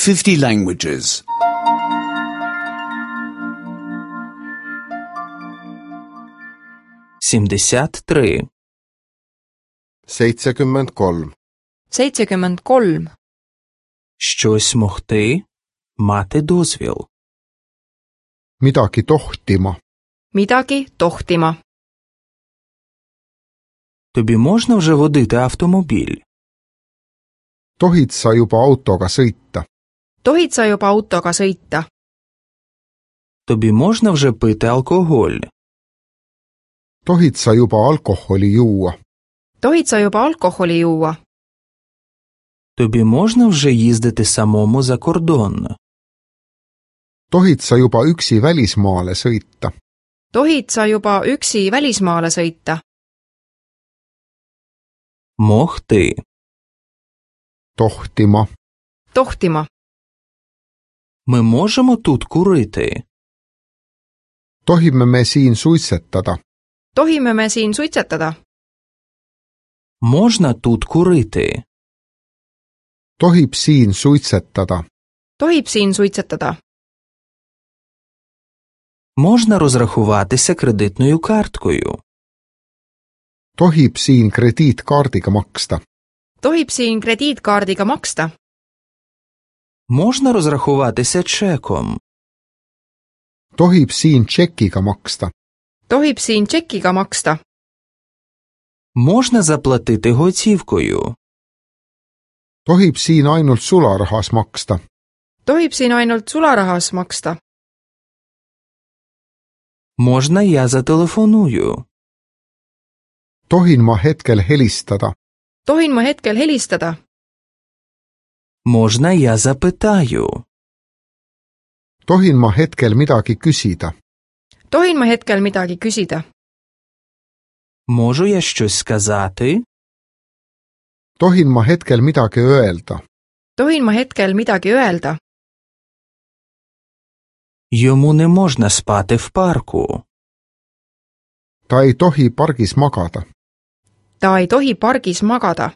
50 languages. 73. 73. 73. Щось могти, мати дозвіл. Midagi tohtima. Midagi tohtima. Тобі можна вже водити автомобіль? Tohid sa juba autoga sõita? Tohid sa juba autoga sõita? Тобі можна вже пити алкоголь? Tohid sa juba alkoholi juua? Tohid sa juba alkoholi juua? Тобі можна вже їздити самому за кордон? Tohid sa juba üksi välismaale sõita? Tohid sa juba üksi välismaale sõita? Могти. Tohtima. Tohtima. Ми можемо тут курити? Tohime me siin suitsetada? Tohime me siin suitsetada? Можна тут курити? Tohib siin suitsetada? Tohib siin suitsetada? Можна розрахуватися кредитною карткою? Tohib siin krediitkaardiga maksta? Tohib siin krediitkaardiga maksta? Можна розрахуватися чеком? Tohib siin tšekiga maksta? Tohib siin tšekiga maksta? Можна заплатити готівкою? Tohib siin ainult sularahas maksta? Tohib siin ainult sularahas maksta? Можна я зателефоную? Tohin ma hetkel helistada? Tohin ma hetkel helistada? Можна я запитаю? Tohin ma hetkel midagi küsida? Tohin ma hetkel midagi küsida? Можу я щось сказати? Tohin ma hetkel midagi öelda? Tohin ma hetkel midagi öelda? Йому не можна спати в парку. Ta ei tohi pargis magada. Ta ei tohi pargis magada.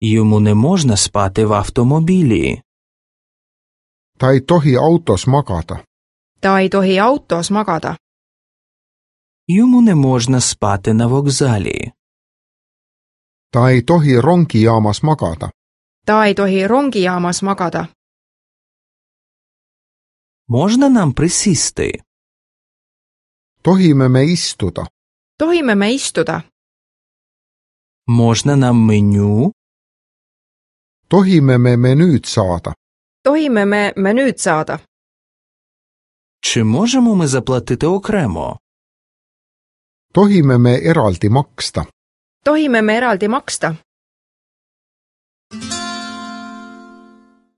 Йому не можна спати в автомобілі. Ta ei tohi autos magada. Ta ei tohi autos magada. Йому не можна спати на вокзалі. Ta ei tohi rongijaamas magada. Ta ei tohi rongijaamas magada. Можна нам присісти? Tohime me istuda? Tohime me istuda? Можна нам меню? Tohime me menüüd saada? Tohime me menüüd saada? Чи можемо ми заплатити окремо? Tohime me eraldi maksta? Tohime me eraldi maksta?